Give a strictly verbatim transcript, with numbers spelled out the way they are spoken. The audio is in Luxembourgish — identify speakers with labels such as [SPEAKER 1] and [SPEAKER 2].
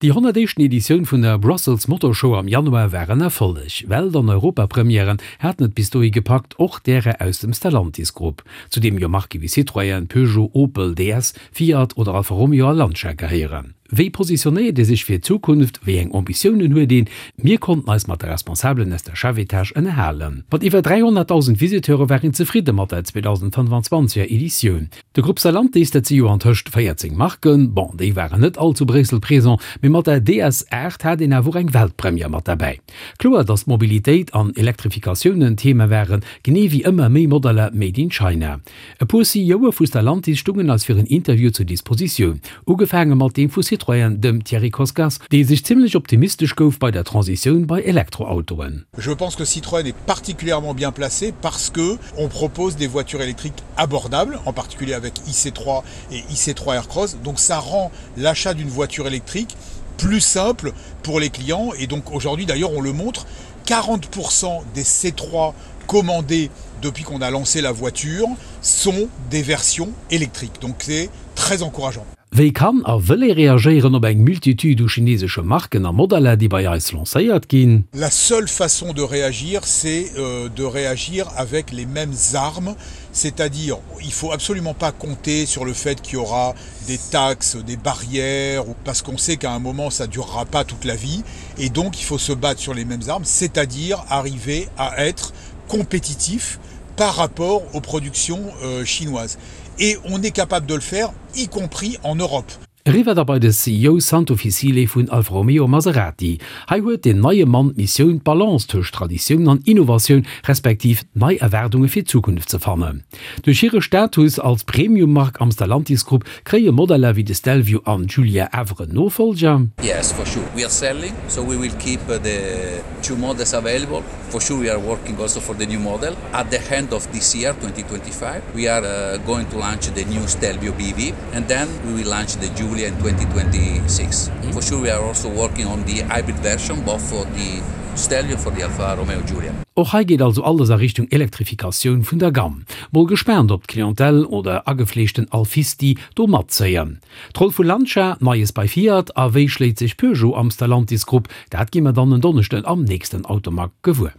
[SPEAKER 1] Déi honnertéischten Editioun vun der Brussels Motor Show am Januar war en Erfolleg. Welt an Europapremièren haten et bis dohi gepackt, och därer aus dem Stellantis Grupp, zu deem jo Marke wéi Citroën, Peugeot, Opel, D S, Fiat oder Alfa Romeo a Lancia gehéieren. Wéi positionéiert ee sech fir d'Zukunft, wéi eng Ambitiounen huet een? Mir konnten eis mat de Responsabelen aus der Chefetage ënnerhalen. Mat iwwer dräihonnertdausend Visiteure war een zefridde mat der zweedausendfënnfanzwanzeg Editioun. De Grupp Stellantis, dat si jo antëscht véierzéng Marken, bon, déi waren net all zu Bréissel présent, mee mat der D S aacht hat een awer och eng Weltpremière mat derbäi. Kloer, datt Mobilitéit an Elektrifikatioun en Thema waren, genee wéi ëmmer méi Modeller made in China. E puer C E Oe vu Stellantis stungen eis fir en Interview zur Dispositioun, ugefaange mat deem vu Citroën, dem Thierry Koskas, dee sech zimmlech optimistesch gouf bei der Transitioun bei Elektroautoen.
[SPEAKER 2] Je pense que Citroën est particulièrement bien placé parce que on propose des voitures électriques abordables, en particulier avec I C trois et I C trois Aircross. Donc ça rend l'achat d'une voiture électrique plus simple pour les clients et donc aujourd'hui d'ailleurs on le montre, quarante pour cent des C trois commandés depuis qu'on a lancé la voiture sont des versions électriques. Donc c'est très encourageant.
[SPEAKER 1] Wéi kann a wëll ee reagéieren op eng Multitude u chinesesche Marken a Modeller, déi bei eis lancéiert ginn?
[SPEAKER 2] La seule façon de réagir, c'est euh, de réagir avec les mêmes armes, c'est-à-dire il faut absolument pas compter sur le fait qu'il y aura des taxes, des barrières, parce qu'on sait qu'à un moment ça durera pas toute la vie et donc il faut se battre sur les mêmes armes, c'est-à-dire arriver à être compétitif par rapport aux productions euh, chinoises. Et on est capable de le faire, y compris en Europe.
[SPEAKER 1] Eriwwer da bei de C E O Santo Ficile vun Alfa Romeo Maserati. Hei huet den neie Mann d'Missioun, d'Balance tëscht Traditioun an Innovatioun respektiv nei Erwaardunge fir d'Zukunft ze fannen. Duerch hire Status als Premium-Mark am Stellantis Grupp kréie Modeller wéi de Stelvio an Giulia awer en Nofollger?
[SPEAKER 3] Yes, for sure. We are selling, so we will keep the two models available. For sure, we are working also for the new model. At the end of this year, twenty twenty-five, we are uh, going to launch the new Stelvio B V, and then we will launch the Giulia in twenty twenty-six. Mm-hmm. For sure, we are also working on the hybrid version, both for the Stelvio and for the Alfa Romeo Giulia.
[SPEAKER 1] Och hei geet also alles a Richtung Elektrifikatioun vun der Gamme. Mol gespaant, ob d'Clientèle oder agefleeschten Alfisti do matzéien. D'Roll vu Lancia, Neies bei Fiat a wéi schléit sech Peugeot am Stellantis Grupp, dat gi mer dann en Donneschden am nächsten Automag gewuer.